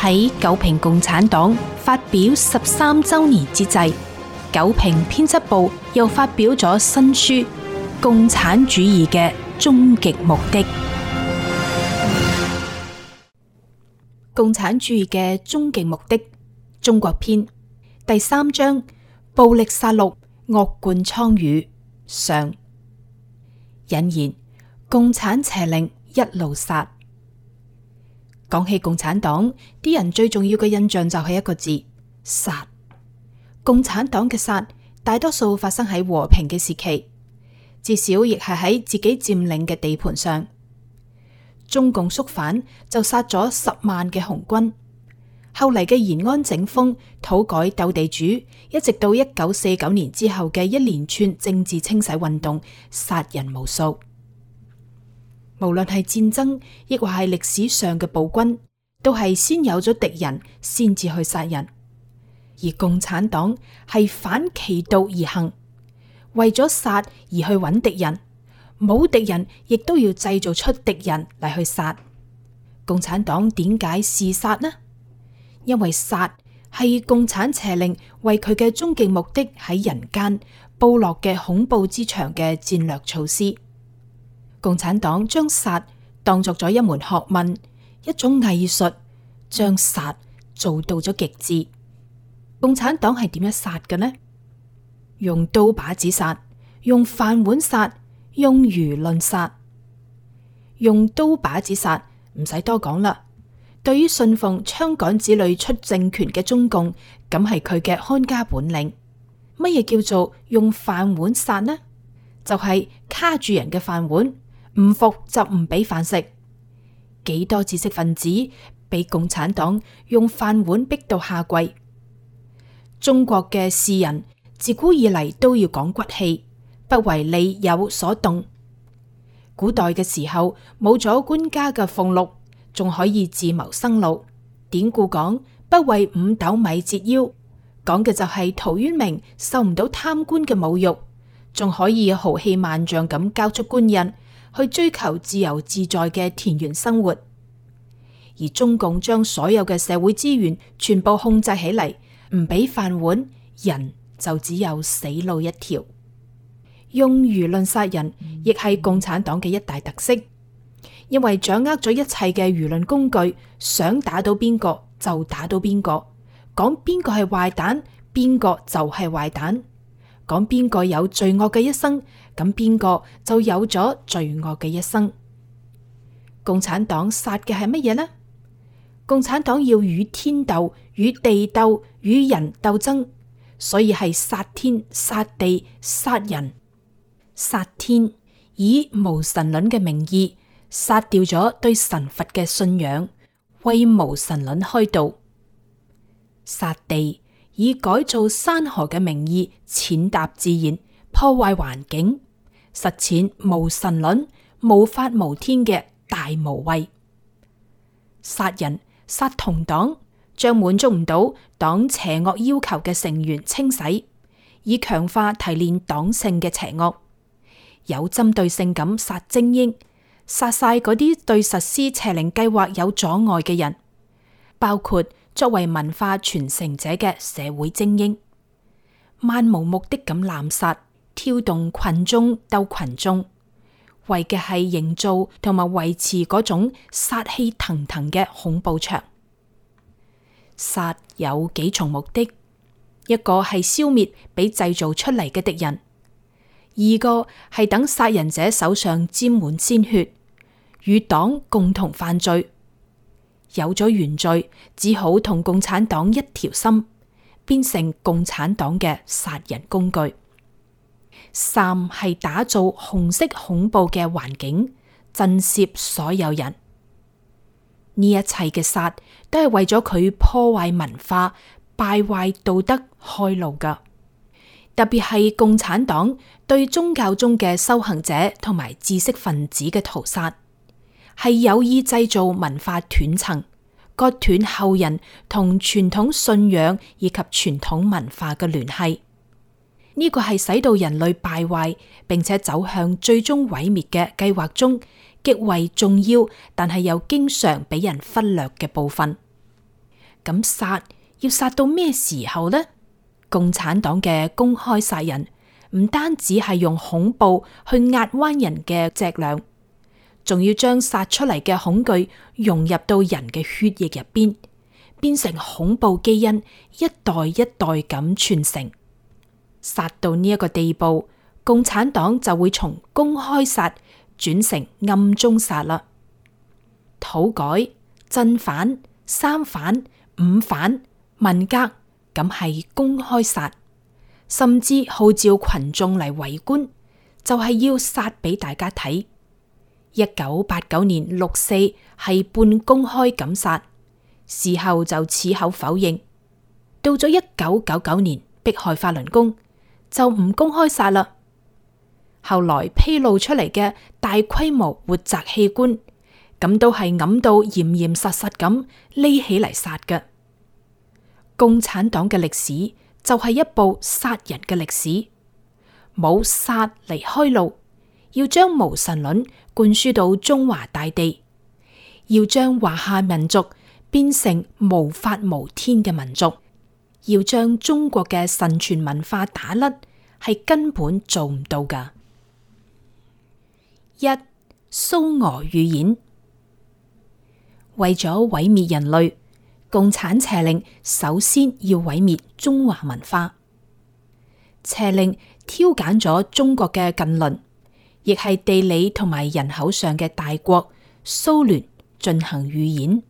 喺九評共產黨發表13週年之際，九評編輯部又發表咗新書《共產主義嘅終極目的》。共產主義嘅終極目的，中國篇第3章：暴力殺戮，惡貫瘡痍。上。引言：共產邪靈一路殺。講起共產黨，啲人最重要嘅印象就係一個字：殺。共產黨嘅殺，大多數發生喺和平嘅時期，至少亦係喺自己佔領嘅地盤上。中共肅反就殺咗10萬嘅紅軍，後嚟嘅延安整風、土改鬥地主，一直到1949年之後嘅一連串政治清洗運動，殺人無數。無論係戰爭，亦或係歷史上嘅暴君，都係先有咗敵人，先至去殺人。而共產黨係反其道而行，為咗殺而去揾敵人，冇敵人亦都要製造出敵人嚟去殺。共產黨點解是殺呢？因為殺係共產邪靈為佢嘅終極目的喺人間布落嘅恐怖之牆嘅戰略措施。共產黨將殺當作咗一門學問，一種藝術，將殺做到咗極致。共產黨係點樣殺嘅呢？用刀把子殺，用飯碗殺，用輿論殺。用刀把子殺唔使多講啦。對於信奉槍桿子裏出政權嘅中共，咁係佢嘅看家本領。乜嘢叫做用飯碗殺呢？就係卡住人嘅飯碗，唔服就唔俾飯食。幾多知識分子俾共產黨用飯碗逼到下跪？中國嘅士人自古以嚟都要講骨氣，不為利誘所動。古代嘅時候冇咗官家嘅俸祿，仲可以自謀生路。典故講不為5斗米折腰，講嘅就係陶淵明受唔到貪官嘅侮辱，仲可以豪氣萬丈咁交出官印，去追求自由自在嘅田園生活。而中共將所有嘅社會資源全部控制起嚟，唔俾飯碗，人就只有死路一條。用輿論殺人，亦係共產黨嘅一大特色，因為掌握咗一切嘅輿論工具，想打到邊個就打到邊個，講邊個係壞蛋，邊個就係壞蛋，講邊個有罪惡嘅一生，咁邊個就有咗罪惡嘅一生。共產黨殺嘅係乜嘢呢？共產黨要與天鬥、與地鬥、與人鬥爭，所以係殺天、殺地、殺人。殺天，以無神論嘅名義殺掉咗對神佛嘅信仰，為無神論開道；殺地，以改造山河嘅名義踐踏自然，破壞環境，實踐無神論、無法無天嘅大無畏。殺人，殺同黨，將滿足唔到黨邪惡要求嘅成員清洗，以強化提煉黨性嘅邪惡。有針對性咁殺精英，殺晒嗰啲對實施邪靈計劃有阻礙嘅人，包括作為文化傳承者嘅社會精英，漫無目的咁濫殺，挑動群眾鬥群眾，為嘅係營造同埋維持嗰種殺氣騰騰嘅恐怖場。殺有幾重目的，一個係消滅俾製造出嚟嘅敵人。二個係等殺人者手上沾滿鮮血，與黨共同犯罪。有咗原罪，只好同共產黨一條心，變成共產黨嘅殺人工具。三係打造紅色恐怖嘅環境，震懾所有人。呢一切嘅殺都係為咗佢破壞文化、敗壞道德開路噶。特別係共產黨對宗教中嘅修行者同埋知識分子嘅屠殺，係有意製造文化斷層，割斷後人同傳統信仰以及傳統文化嘅聯繫。呢個係使到人類敗壞並且走向最終毀滅嘅計劃中極為重要，但係又經常俾人忽略嘅部分。咁殺，要殺到咩時候呢？共產黨嘅公開殺人，唔單止係用恐怖去壓彎人嘅脊梁，仲要將殺出嚟嘅恐懼融入到人嘅血液入邊，變成恐怖基因，一代一代咁傳承。殺到呢一個地步，共產黨就會從公開殺轉成暗中殺啦。土改、鎮反、三反、五反、文革，咁係公開殺，甚至號召群眾嚟圍觀，就係要殺俾大家睇。1989年6·4係半公開咁殺，事後就矢口否認。到咗1999年迫害法輪功，就唔公開殺啦。後來披露出嚟嘅大規模活摘器官，咁都係揞到嚴嚴實實咁匿起嚟殺嘅。共產黨嘅歷史就係一部殺人嘅歷史，冇殺嚟開路，要將無神論灌輸到中華大地，要將華夏民族變成無法無天嘅民族，要將中國嘅神傳文化打甩，係根本做唔到噶。一、蘇俄預演。為咗毀滅人類，共產邪令首先要毀滅中華文化。邪令挑揀咗中國嘅近鄰，亦係地理同埋人口上嘅大國蘇聯進行預演。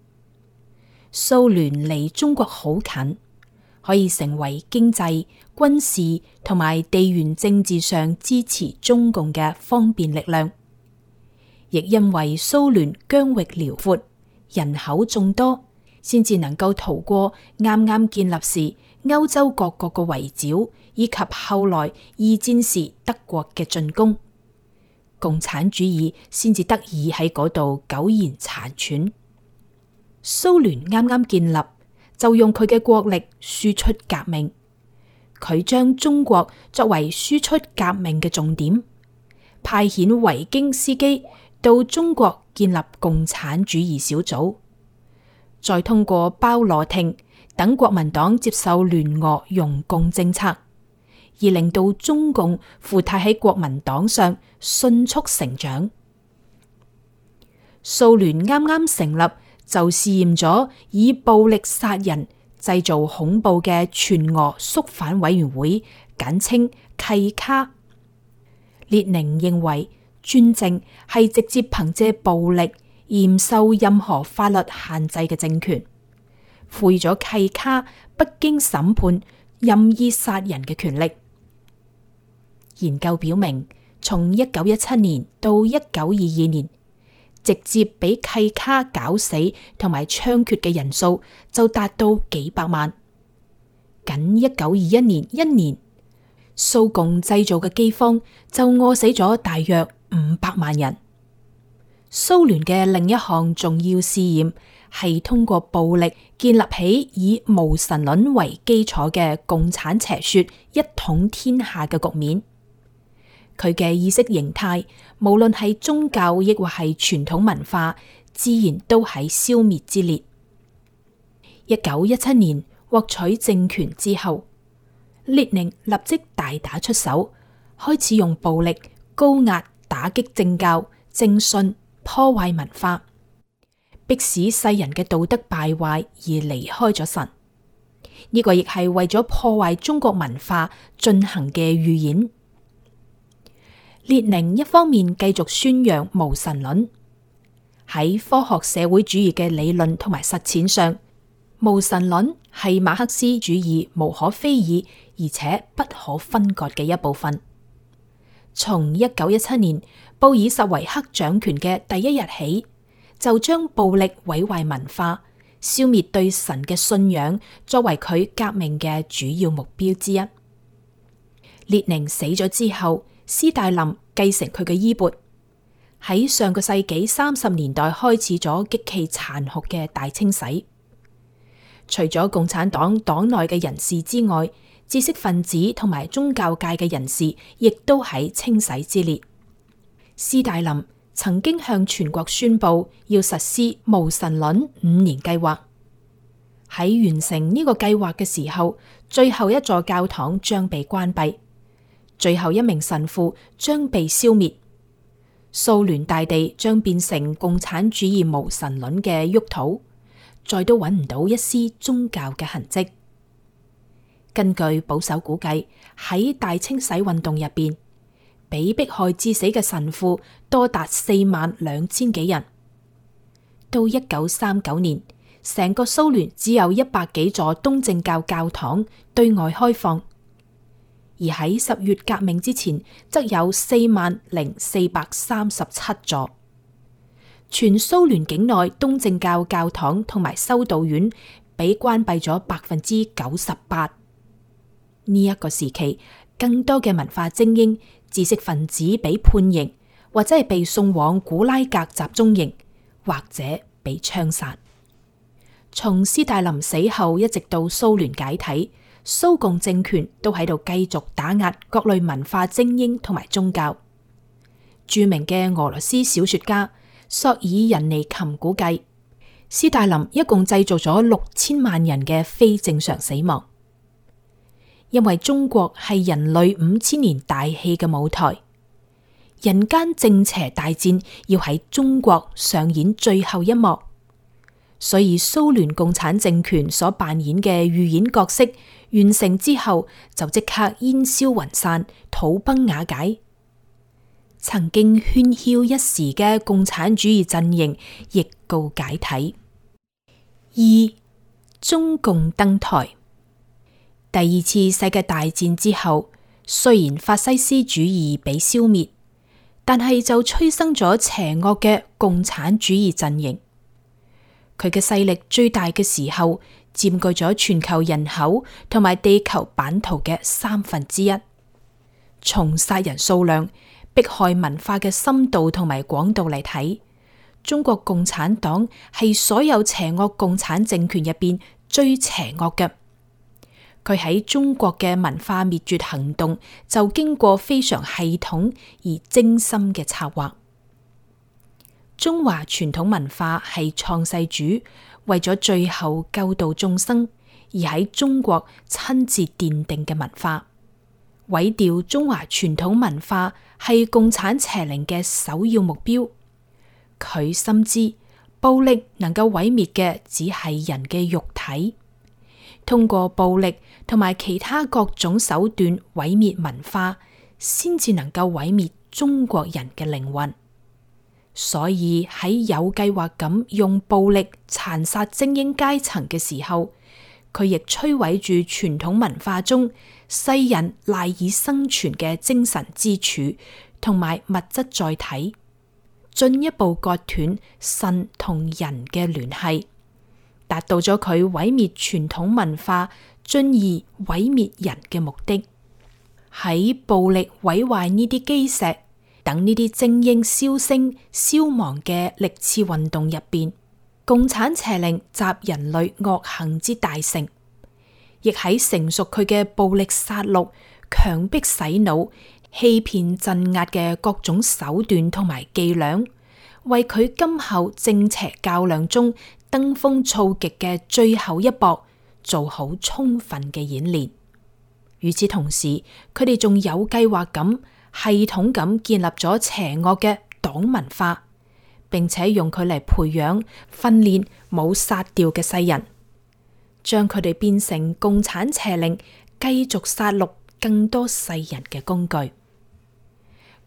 蘇聯離中國好近，可以成為經濟、軍事同埋地緣政治上支持中共嘅方便力量。亦因為蘇聯疆域遼闊，人口眾多，先至能夠逃過啱啱建立時歐洲各國嘅圍剿，以及後來二戰時德國嘅進攻，共產主義先至得以喺嗰度苟延殘喘。蘇聯啱啱建立，就用佢嘅國力輸出革命，佢將中國作為輸出革命嘅重點，派遣維京斯基到中國建立共產主義小組，再通過鮑羅廷等國民黨接受聯俄容共政策，而令到中共附體喺國民黨上迅速成長。蘇聯啱啱成立就試驗咗以暴力殺人、製造恐怖嘅全俄肅反委員會，簡稱契卡。列寧認為專政係直接憑借暴力而唔受任何法律限制嘅政權，賦予咗契卡不經審判任意殺人嘅權力。研究表明，從1917年到1922年，直接俾契卡絞死同埋槍決嘅人數就達到幾百萬。僅1921年一年，蘇共製造嘅饑荒就餓死咗大約500萬人。蘇聯嘅另一項重要試驗係通過暴力建立起以無神論為基礎嘅共產邪說一統天下嘅局面。佢嘅意識形態，無論係宗教亦或係傳統文化，自然都喺消滅之列。1917年獲取政權之後，列寧立即大打出手，開始用暴力高壓打擊政教、正信，破壞文化，迫使世人嘅道德敗壞而離開咗神。呢個亦係為咗破壞中國文化進行嘅預演。列寧一方面繼續宣揚無神論，喺科學社會主義嘅理論同埋實踐上，無神論係馬克思主義無可非議而且不可分割嘅一部分。從1917年布爾什維克掌權嘅第一日起，就將暴力毀壞文化、消滅對神嘅信仰作為佢革命嘅主要目標之一。列寧死咗之後，斯大林繼承佢嘅衣缽，喺上個世紀30年代開始咗極其殘酷嘅大清洗。除咗共產黨黨內嘅人士之外，知識分子同埋宗教界嘅人士亦都喺清洗之列。斯大林曾經向全國宣布要實施無神論5年計劃。喺完成呢個計劃嘅時候，最後一座教堂將被關閉，最後一名神父將被消滅，蘇聯大地將變成共產主義無神論嘅沃土，再都揾唔到一絲宗教嘅痕跡。根據保守估計，喺大清洗運動入邊，被迫害致死嘅神父多達42000幾人。到1939年，成個蘇聯只有100幾座東正教教堂對外開放，而喺10月革命之前，則有40437座。全蘇聯境內東正教教堂同埋修道院被關閉咗98%。呢一個時期，更多嘅文化精英、知識分子被判刑，或者係被送往古拉格集中營，或者被槍殺。從斯大林死後一直到蘇聯解體，蘇共政權都喺度繼續打壓各類文化精英同埋宗教。著名嘅俄羅斯小說家索爾仁尼琴估計，斯大林一共製造咗6000萬人嘅非正常死亡。因為中國係人類5000年大戲嘅舞台，人間正邪大戰要喺中國上演最後一幕，所以蘇聯共產政權所扮演嘅預演角色完成之後，就即刻煙消雲散、土崩瓦解。曾經喧囂一時嘅共產主義陣營亦告解體。2. 中共登台。第二次世界大戰之後，雖然法西斯主義被消滅，但係就催生咗邪惡嘅共產主義陣營。佢嘅勢力最大嘅時候，佔據咗全球人口同埋地球版圖嘅1/3。從殺人數量、迫害文化嘅深度同埋廣度嚟睇，中國共產黨係所有邪惡共產政權入邊最邪惡嘅。佢喺中國嘅文化滅絕行動就經過非常系統而精心嘅策劃。中華傳統文化係創世主為咗最後救度眾生而喺中國親自奠定嘅文化。毀掉中華傳統文化係共產邪靈嘅首要目標。佢深知暴力能夠毀滅嘅只係人嘅肉體。通過暴力同埋其他各種手段毀滅文化，先至能夠毀滅中國人嘅靈魂。所以喺有計劃咁用暴力殘殺精英階層嘅時候，佢亦摧毀住傳統文化中世人賴以生存嘅精神支柱同埋物質載體，進一步割斷神同人嘅聯繫，達到咗佢毀滅傳統文化，進而毀滅人嘅目的。喺暴力毀壞呢啲基石，等呢啲精英銷聲消亡嘅歷次運動入邊，共產邪靈集人類惡行之大成，亦喺成熟佢嘅暴力殺戮、強迫洗腦、欺騙鎮壓嘅各種手段同埋伎倆，為佢今後正邪較量中登峰造極嘅最後一搏做好充分嘅演練。與此同時，佢哋仲有計劃咁系統咁建立咗邪惡嘅黨文化，並且用佢嚟培養訓練冇殺掉嘅世人，將佢哋變成共產邪靈繼續殺戮更多世人嘅工具。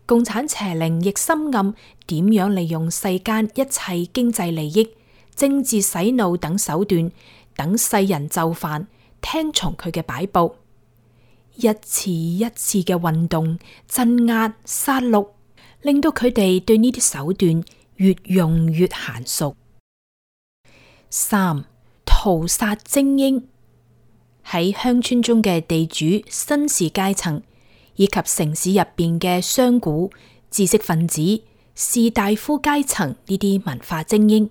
共產邪靈亦深諳點樣利用世間一切經濟利益、政治洗腦等手段，等世人就範，聽從佢嘅擺布，一次一次嘅運動、鎮壓、殺戮，令到佢哋對呢啲手段越用越嫻熟。3. 屠殺精英。喺鄉村中嘅地主、紳士階層，以及城市入邊嘅商賈、知識分子、士大夫階層呢啲文化精英，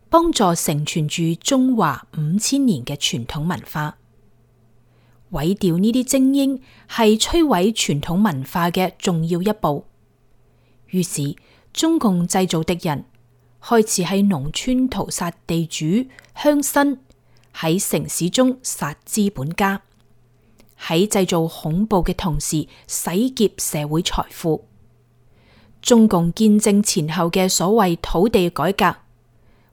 幫助承傳住中華5000年嘅傳統文化。毀掉呢啲精英係摧毀傳統文化嘅重要一步。於是中共製造敵人，開始喺農村屠殺地主、鄉紳，喺城市中殺資本家，喺製造恐怖嘅同時洗劫社會財富。中共建政前後嘅所謂土地改革，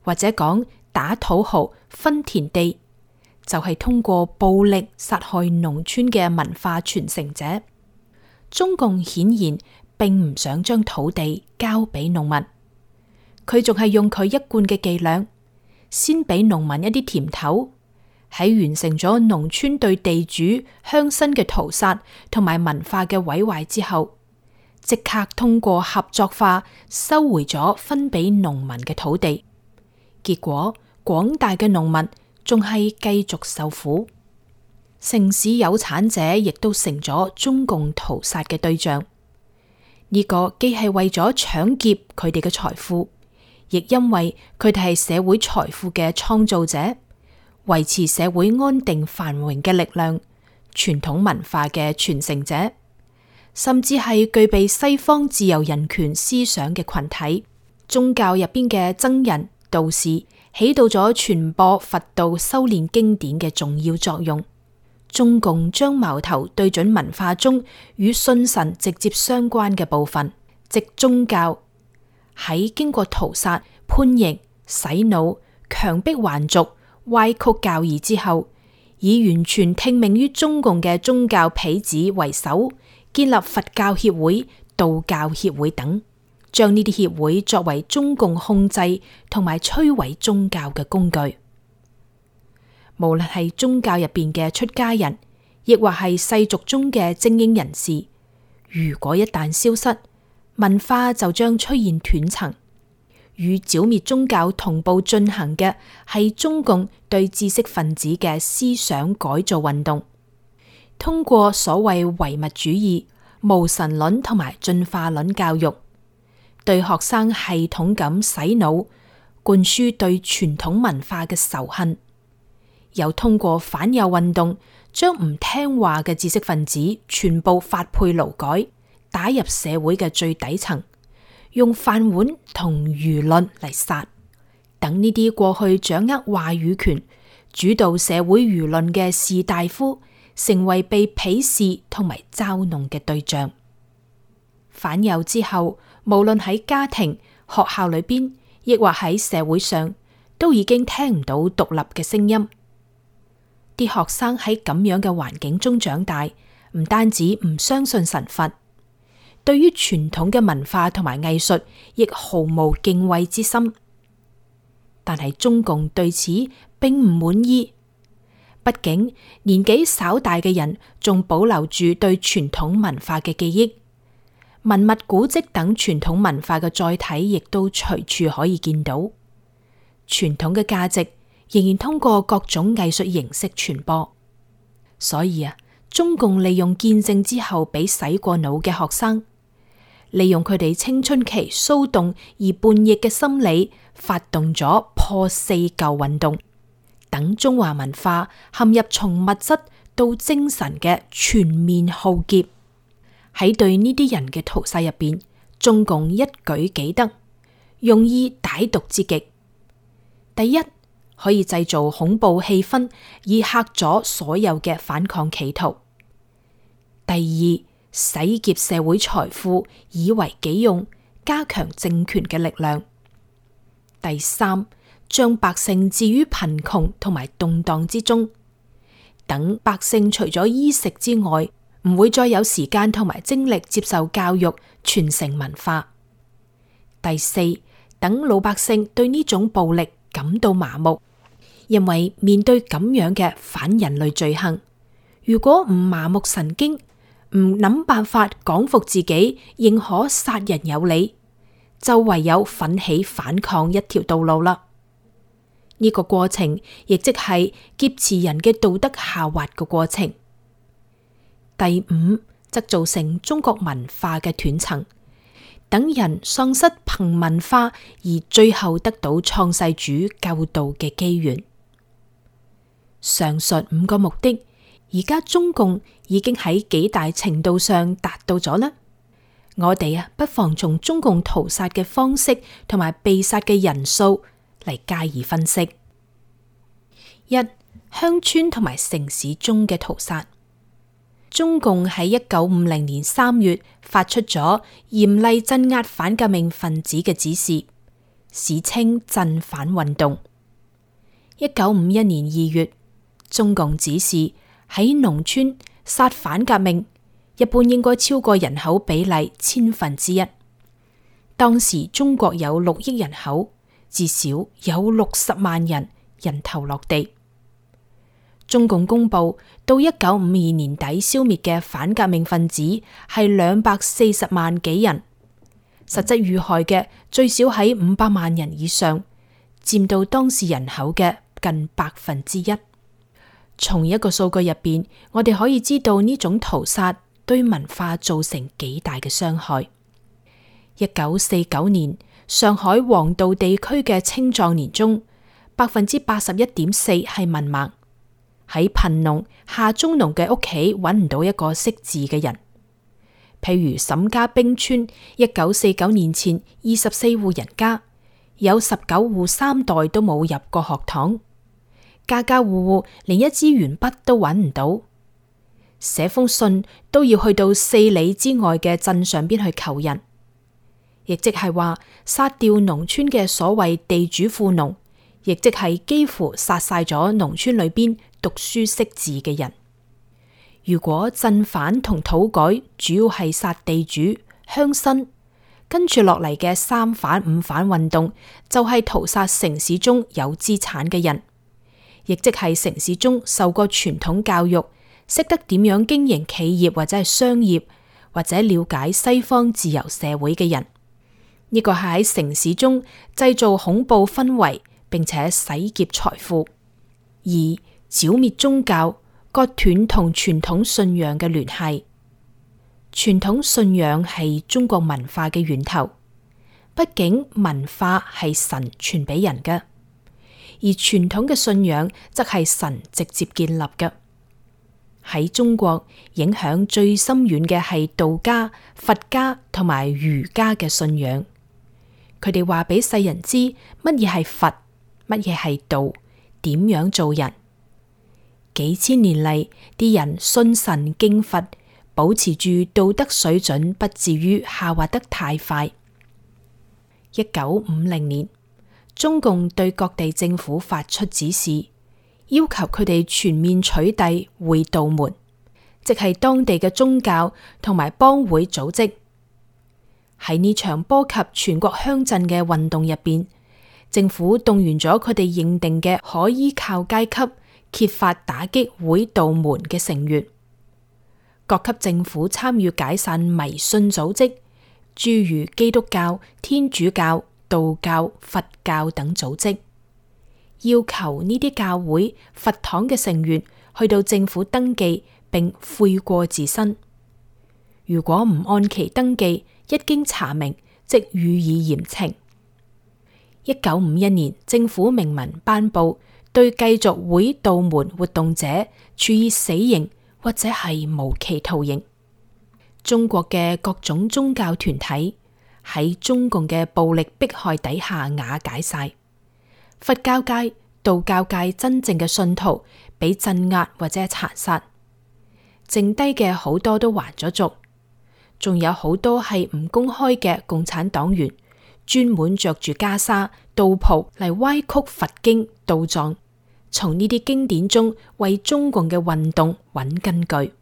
或者講打土豪分田地，就係通過暴力殺害農村嘅文化傳承者。中共顯然並唔想將土地交俾農民，佢仲係用佢一貫嘅伎倆，先俾農民一啲甜頭，喺完成咗農村對地主鄉紳嘅屠殺同埋文化嘅毀壞之後，即刻通過合作化收回咗分俾農民嘅土地。結果廣大嘅農民仲係繼續受苦，城市有產者亦都成咗中共屠殺嘅對象。呢個既係為咗搶劫佢哋嘅財富，亦因為佢哋係社會財富嘅創造者，維持社會安定繁榮嘅力量，傳統文化嘅傳承者，甚至係具備西方自由人權思想嘅群體。宗教入邊嘅僧人道士起到咗傳播佛道修煉經典嘅重要作用。中共將矛頭對準文化中與信神直接相關嘅部分，即宗教。喺經過屠殺、叛逆、洗腦、強迫還俗、歪曲教義之後，以完全聽命於中共嘅宗教痞子為首，建立佛教協會、道教協會等，將呢啲協會作為中共控制同埋摧毀宗教嘅工具。無論係宗教入邊嘅出家人，亦或係世俗中嘅精英人士，如果一旦消失，文化就將出現斷層。與剿滅宗教同步進行嘅係中共對知識分子嘅思想改造運動，通過所謂唯物主義、無神論同埋進化論教育，對學生系統咁洗腦，灌輸對傳統文化嘅仇恨。又通過反右運動，將唔聽話嘅知識分子全部發配勞改，打入社會嘅最底層，用飯碗同輿論嚟殺。等呢啲過去掌握話語權、主導社會輿論嘅士大夫，成為被鄙視同埋嘲弄嘅對象。反右之後，無論喺家庭、學校裏邊，亦或喺社會上，都已經聽唔到獨立嘅聲音。啲學生喺咁樣嘅環境中長大，唔單止唔相信神佛，對於傳統嘅文化同埋藝術亦毫無敬畏之心。但係中共對此並唔滿意，畢竟年紀稍大嘅人仲保留住對傳統文化嘅記憶，文物古蹟等傳統文化嘅載體亦都隨處可以見到，傳統嘅價值仍然通過各種藝術形式傳播。所以中共利用建政之後俾洗過腦嘅學生，利用佢哋青春期騷動而叛逆嘅心理，發動咗破四舊運動，等中華文化陷入從物質到精神嘅全面浩劫。喺對呢啲人嘅屠殺入邊，中共一舉幾得，用意歹毒之極。第一，可以製造恐怖氣氛，以嚇阻所有嘅反抗企圖；第二，洗劫社會財富，以為己用，加強政權嘅力量；第三，將百姓置於貧窮同埋動盪之中，等百姓除咗衣食之外，唔會再有時間同埋精力接受教育、傳承文化；第四，等老百姓對呢種暴力感到麻木。因為面對咁樣嘅反人類罪行，如果唔麻木神經，唔諗辦法講服自己認可殺人有理，就唯有奮起反抗一條道路啦。呢個過程亦即係劫持人嘅道德下滑嘅過程。第五，則造成中國文化嘅斷層，等人喪失憑文化而最後得到創世主救度嘅機緣。上述五個目的，而家中共已經喺幾大程度上達到咗啦。我哋不妨從中共屠殺嘅方式同埋被殺嘅人數嚟加以分析。一、鄉村同埋城市中嘅屠殺。中共喺1950年3月發出咗嚴厲鎮壓反革命分子嘅指示，史稱鎮反運動。1951年2月，中共指示喺農村殺反革命，一般應該超過人口比例1/1000。當時中國有6億人口，至少有60萬人人頭落地。中共公布到1952年底消滅嘅反革命分子係240萬幾人，實質遇害嘅最少喺500萬人以上，佔到當時人口嘅近1%。從一個數據入邊，我哋可以知道呢種屠殺對文化造成幾大嘅傷害。1949年，上海黃道地區嘅青壯年中，81.4%係文盲。喺貧農、下中農嘅屋企揾唔到一個識字嘅人。譬如沈家兵村1949年前24戶人家，有19戶3代都冇入過學堂，家家戶戶連一支鉛筆都揾唔到，寫封信都要去到4里之外嘅鎮上邊去求人。亦即係話，殺掉農村嘅所謂地主富農，亦即係幾乎殺晒咗農村裏邊讀書識字嘅人。如果鎮反同土改主要係殺地主鄉紳，跟住落嚟嘅3反5反運動就係屠殺城市中有資產嘅人，亦即係城市中受過傳統教育，識得點樣經營企業或者係商業，或者了解西方自由社會嘅人。呢個係喺城市中製造恐怖氛圍，並且洗劫財富，而剿滅宗教，割斷同傳統信仰嘅聯繫。傳統信仰係中國文化嘅源頭，畢竟文化係神傳俾人嘅，而傳統嘅信仰則係神直接建立嘅。喺中國，影響最深遠嘅係道家、佛家同埋儒家嘅信仰。佢哋話俾世人知乜嘢係佛，乜嘢係道，點樣做人。幾千年嚟，啲人信神敬佛，保持住道德水準，不至於下滑得太快。1950年，中共對各地政府發出指示，要求佢哋全面取締會道門，即係當地嘅宗教同埋幫會組織。喺呢場波及全國鄉鎮嘅運動入邊，政府動員咗佢哋認定嘅可依靠階級，揭發打擊會道門嘅成員。各級政府參與解散迷信組織，諸如基督教、天主教、道教、佛教等組織，要求呢啲教會、佛堂嘅成員去到政府登記並悔過自新。如果唔按期登記，一經查明，即予以嚴懲。1951年，政府明文頒布，對繼續會道門活動者處以死刑或者係無期徒刑。中國嘅各種宗教團體喺中共嘅暴力迫害底下瓦解晒，佛教界、道教界真正嘅信徒被鎮壓或者殘殺，剩低嘅好多都還咗俗。仲有好多係唔公開嘅共產黨員，專門着住袈裟、道袍嚟歪曲佛經、道藏，從呢啲經典中為中共嘅運動揾根據。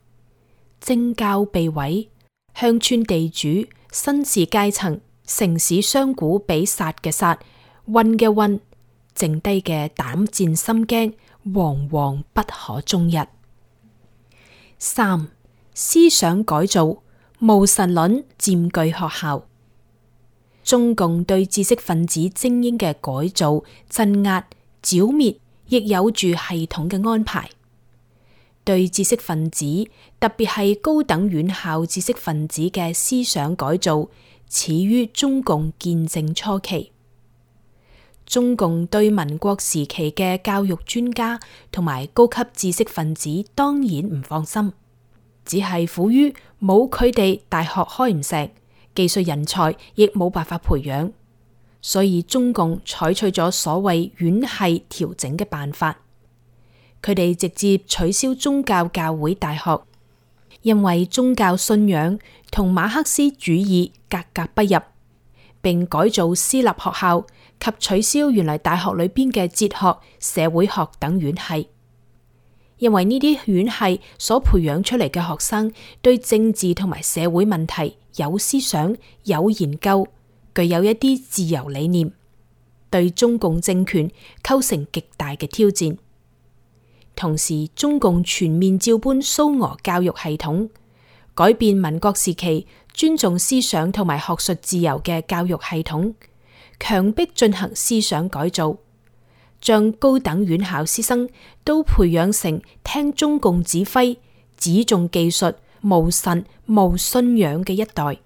政教被毀，鄉村地主、紳士階層、城市商賈被殺嘅殺，混嘅混，剩低嘅膽戰心驚，惶惶不可終日。3. 思想改造。無神論佔據學校，中共對知識分子精英嘅改造、鎮壓、剿滅，亦有住系統嘅安排。對知識分子，特別係高等院校知識分子嘅思想改造，始於中共建政初期。中共對民國時期嘅教育專家同埋高級知識分子當然唔放心。只係苦於冇佢哋，大學開唔成，技術人才亦冇辦法培養，所以中共採取咗所謂院系調整嘅辦法。佢佢哋直接取消宗教教會大學，因為宗教信仰同馬克思主義格格不入，並改造私立學校及取消原來大學裏邊嘅哲學、社會學等院系。因為呢啲院系所培養出嚟嘅學生對政治同埋社會問題有思想、有研究，具有一啲自由理念，對中共政權構成極大嘅挑戰。同時，中共全面照搬蘇俄教育系統，改變民國時期尊重思想同埋學術自由嘅教育系統，強迫進行思想改造，將高等院校師生都培養成聽中共指揮、只重技術、無神無信仰嘅一代。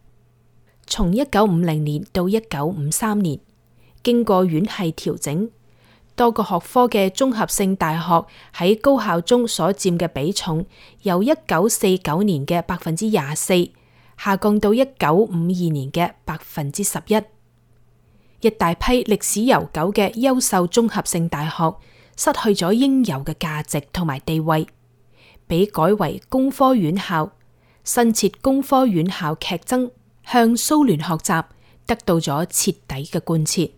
從1950年到1953年，經過院系調整，多個學科嘅綜合性大學喺高校中所佔嘅比重，由1949年嘅24%下降到1952年嘅11%。一大批歷史悠久嘅優秀綜合性大學失去咗應有嘅價值同埋地位，被改為工科院校。新設工科院校劇增，向蘇聯學習，得到咗徹底嘅貫徹。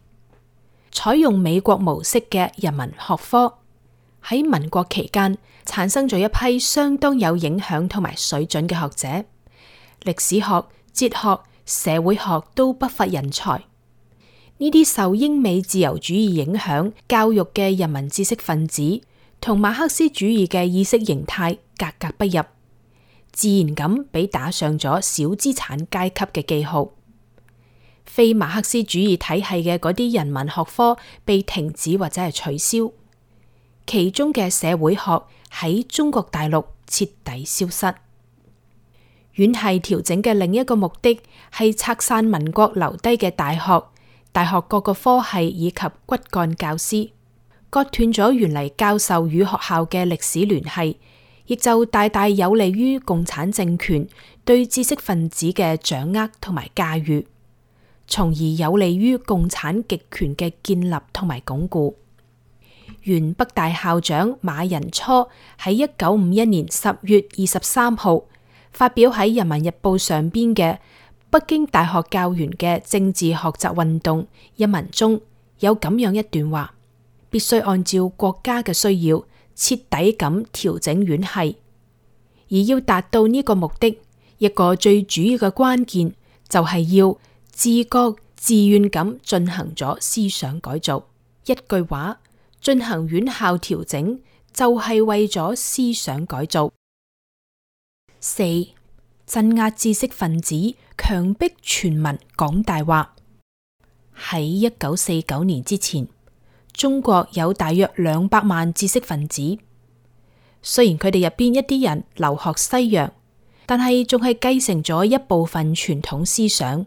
採用美國模式嘅人文學科喺民國期間產生咗一批相當有影響同埋水準嘅學者，歷史學、哲學、社會學都不乏人才。呢啲受英美自由主義影響教育嘅人民知識分子，同馬克思主義嘅意識形態格格不入，自然咁俾打上咗小資產階級嘅記號。非馬克思主義體系嘅嗰啲人文學科被停止或者係取消，其中嘅社會學喺中國大陸徹底消失。院系調整嘅另一個目的係拆散民國留低嘅大學各個科系以及骨幹教師，割斷咗原嚟教授與學校嘅歷史聯繫，亦就大大有利於共產政權對知識分子嘅掌握同埋駕馭，從而有利於共產極權嘅建立同埋鞏固。原北大校長馬寅初喺1951年10月23號發表喺《人民日報》上邊嘅北京大學教員嘅政治學習運動一文中，有咁樣一段話：必須按照國家嘅需要徹底咁調整院系，而要達到呢個目的，一個最主要嘅關鍵就係要自覺自願咁進行咗思想改造。一句話，進行院校調整就係為咗思想改造。4. 鎮壓知識分子，強迫全民講大話。喺1949年之前，中國有大約200萬知識分子。雖然佢哋入邊一啲人留學西洋，但係仲係繼承咗一部分傳統思想，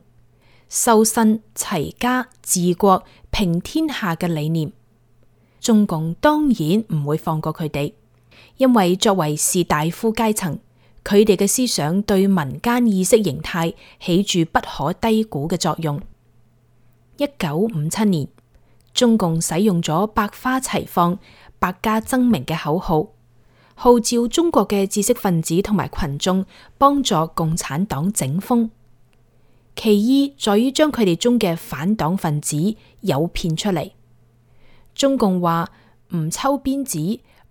修身齊家治國平天下嘅理念。中共當然唔會放過佢哋，因為作為士大夫階層，佢哋嘅思想對民間意識形態起住不可低估嘅作用。1957年，中共使用咗百花齊放、百家爭鳴嘅口號，號召中國嘅知識分子同埋群眾幫助共產黨整風。其意在於將佢哋中嘅反黨分子誘騙出嚟。中共話唔抽鞭子、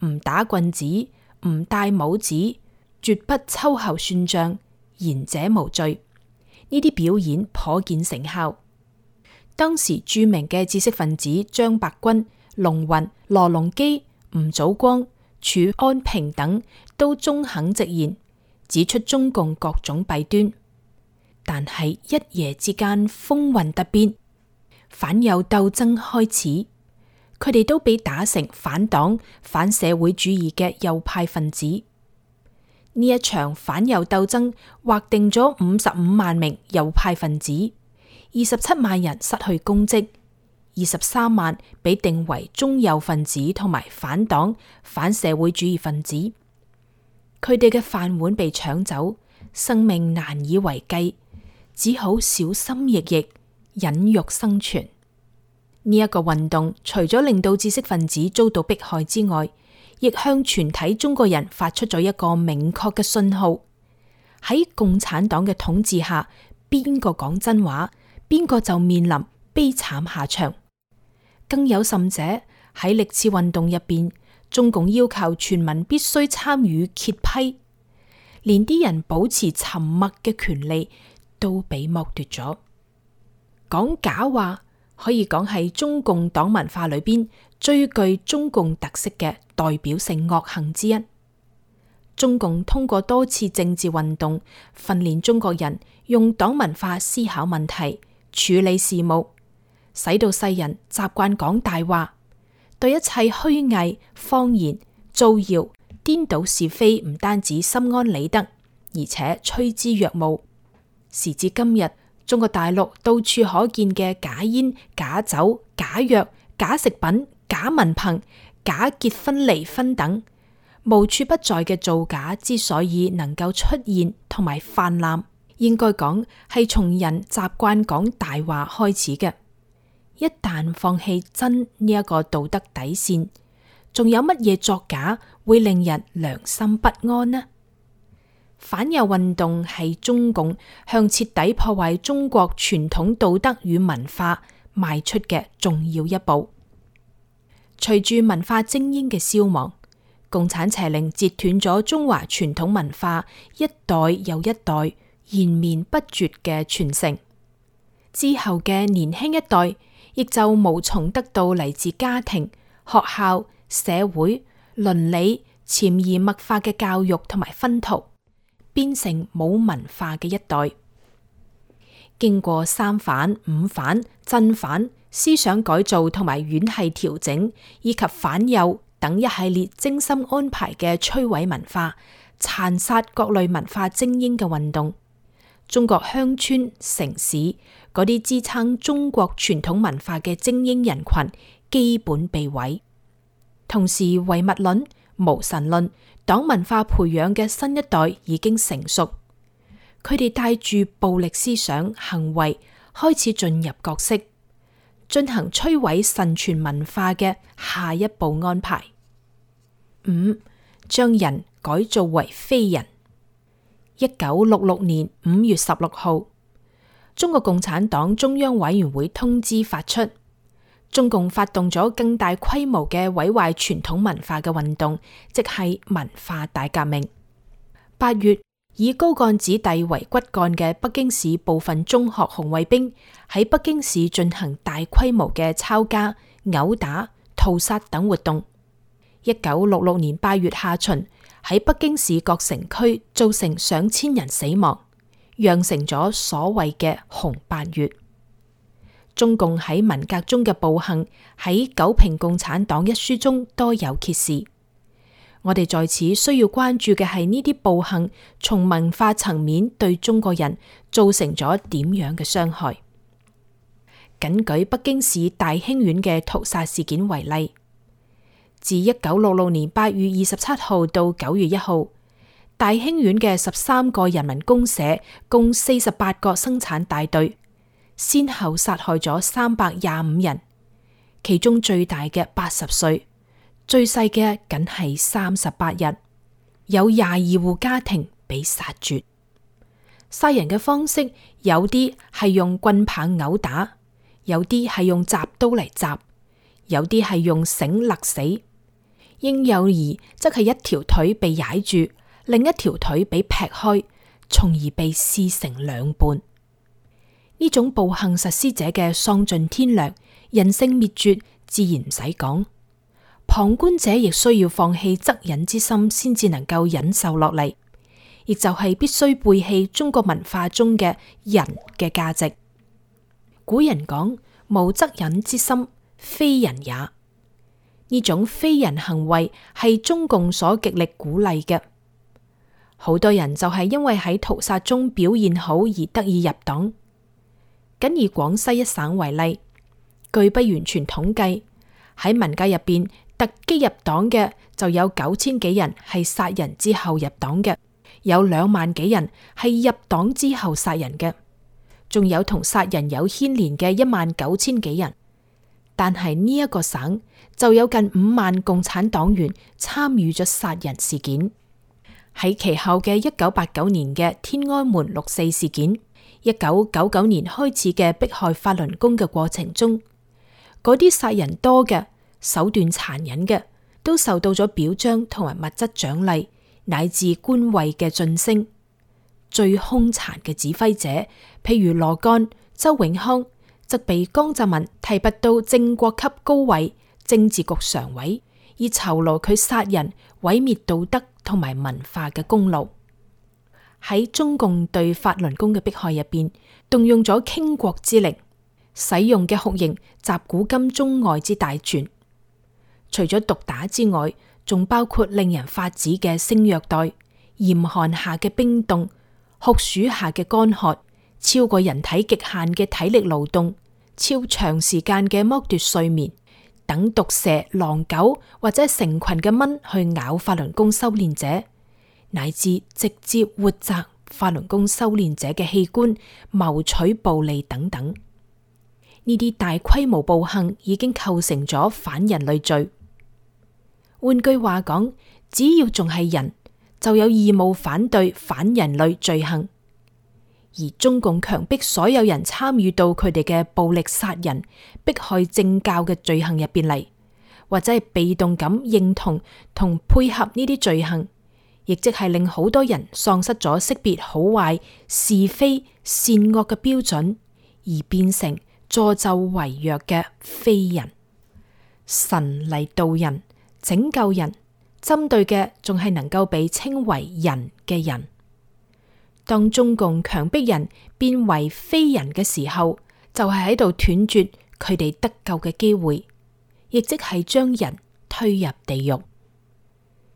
唔打棍子、唔戴帽子，絕不秋後算賬，言者無罪。呢啲表演頗見成效。當時著名嘅知識分子張伯鈞、龍雲、羅隆基、吳祖光、褚安平等都中肯直言，指出中共各種弊端。但係一夜之間風雲突變，反右鬥爭開始，佢哋都被打成反黨、反社會主義嘅右派分子。呢一場反右鬥爭劃定咗55萬名右派分子，27萬人失去公職，23萬被定為中右分子同埋反黨、反社會主義分子。佢哋嘅飯碗被搶走，生命難以為繼，只好小心翼翼，忍辱生存。呢一個運動除咗令到知識分子遭到迫害之外，亦向全體中國人發出咗一個明確嘅信號：喺共產黨嘅統治下，邊個講真話，邊個就面臨悲慘下場。更有甚者，喺歷次運動入邊，中共要求全民必須參與揭批，連啲人保持沉默嘅權利都被剝奪咗。講假話可以講係中共黨文化裏邊最具中共特色嘅代表性惡行之一。中共通過多次政治運動，訓練中國人用黨文化思考問題、處理事務，使到世人習慣講大話，對一切虛偽、謊言、造謠、顛倒是非，唔單止心安理得，而且趨之若鶩。時至今日，中國大陸到處可見嘅假煙、假酒、假藥、假食品、假文憑、假結婚離婚等無處不在嘅造假，之所以能夠出現同埋泛濫，應該講係從人習慣講大話開始嘅。一旦放棄真呢一個道德底線，仲有乜嘢作假會令人良心不安呢？反右運動係中共向徹底破壞中國傳統道德與文化邁出嘅重要一步。隨住文化精英嘅消亡，共產邪靈截斷咗中華傳統文化一代又一代延綿不絕嘅傳承，之後嘅年輕一代亦就無從得到嚟自家庭、學校、社會、倫理潛移默化嘅教育同埋熏陶，變成冇文化嘅一代。經過三反、五反、鎮反、思想改造同埋院系調整，以及反右等一系列精心安排嘅摧毀文化、殘殺各類文化精英嘅運動，中國鄉村、城市嗰啲支撐中國傳統文化嘅精英人群基本被毀。同時，唯物論、無神論、黨文化培養嘅新一代已經成熟，佢哋帶住暴力思想行為開始進入角色，進行摧毀神傳文化嘅下一步安排。5. 將人改造為非人。1966年5月16號，中國共產黨中央委員會通知發出，中共發動咗更大規模嘅毀壞傳統文化嘅運動，即係文化大革命。8月，以高幹子弟為骨幹嘅北京市部分中學紅衛兵喺北京市進行大規模嘅抄家、毆打、屠殺等活動。1966年8月下旬，喺北京市各城區造成上千人死亡，釀成咗所謂嘅紅8月。中共喺文革中嘅暴行喺《九評共產黨》一書中多有揭示。我哋在此需要關注嘅係呢啲暴行從文化層面對中國人造成咗點樣嘅傷害。僅舉北京市大興縣嘅屠殺事件為例，自1966年8月27號到9月1號，大興縣嘅13個人民公社共48個生產大隊，先後殺害咗325人，其中最大嘅80歲，最細嘅僅係38日，有22戶家庭被殺絕。殺人嘅方式有啲係用棍棒毆打，有啲係用鍘刀嚟鍘，有啲係用繩勒死。嬰幼兒則係一條腿被踩住，另一條腿被劈開，從而被撕成兩半。呢種暴行實施者嘅喪盡天良、人性滅絕，自然唔使講。旁觀者亦需要放棄惻隱之心，先至能夠忍受落嚟，亦就係必須背棄中國文化中嘅人嘅價值。古人講無惻隱之心，非人也。呢種非人行為係中共所極力鼓勵嘅。好多人就係因為喺屠殺中表現好而得以入黨。僅以廣西一省為例，據不完全統計，喺文革入邊突擊入黨嘅就有9000幾人係殺人之後入黨嘅，有2萬幾人係入黨之後殺人嘅，仲有同殺人有牽連嘅19000幾人。但係呢一個省就有近5萬共產黨員參與咗殺人事件。喺其後嘅1989年嘅天安門6·4事件，1999年開始嘅迫害法輪功嘅過程中，嗰啲殺人多嘅、手段殘忍嘅，都受到咗表彰同埋物質獎勵，乃至官位嘅晉升。最兇殘嘅指揮者，譬如羅幹、周永康，則被江澤民提拔到正國級高位政治局常委，以酬勞佢殺人、毀滅道德同埋文化嘅功勞。喺中共對法輪功嘅迫害入邊，動用咗傾國之力，使用嘅酷刑集古今中外之大全。除咗毒打之外，仲包括令人髮指嘅性虐待、嚴寒下嘅冰凍、酷暑下嘅乾渴、超過人體極限嘅體力勞動、超長時間嘅剝奪睡眠，等毒蛇、狼狗或者成群嘅蚊去咬法輪功修煉者，乃至直接活摘法輪功修煉者嘅器官，謀取暴利等等。呢啲大規模暴行已經構成咗反人類罪。換句話講，只要仲係人，就有義務反對反人類罪行。而中共強迫所有人參與到佢哋嘅暴力殺人、迫害政教嘅罪行入邊嚟，或者係被動咁認同同配合呢啲罪行，亦即係令好多人喪失咗識別好壞、是非善惡嘅標準，而變成助紂為虐嘅非人。神嚟導人、拯救人，針對嘅仲係能夠被稱為人嘅人。當中共強迫人變為非人嘅時候，就係喺度斷絕佢哋得救嘅機會，亦即係將人推入地獄。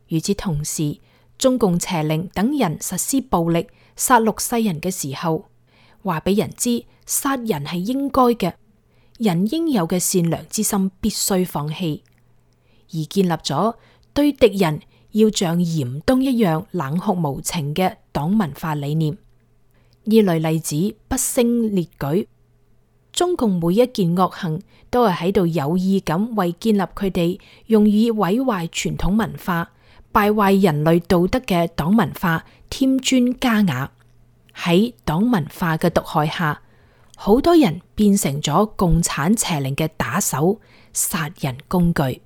與此同時，中共邪靈等人實施暴力殺戮世人嘅時候，話俾人知殺人係應該嘅，人應有嘅善良之心必須放棄，而建立咗對敵人要像嚴冬一樣冷酷無情嘅黨文化理念。呢類例子不勝列舉，中共每一件惡行都係喺度有意咁為建立佢哋用以毀壞傳統文化、敗壞人類道德嘅黨文化添磚加瓦。喺黨文化嘅毒害下，好多人變成咗共產邪靈嘅打手、殺人工具。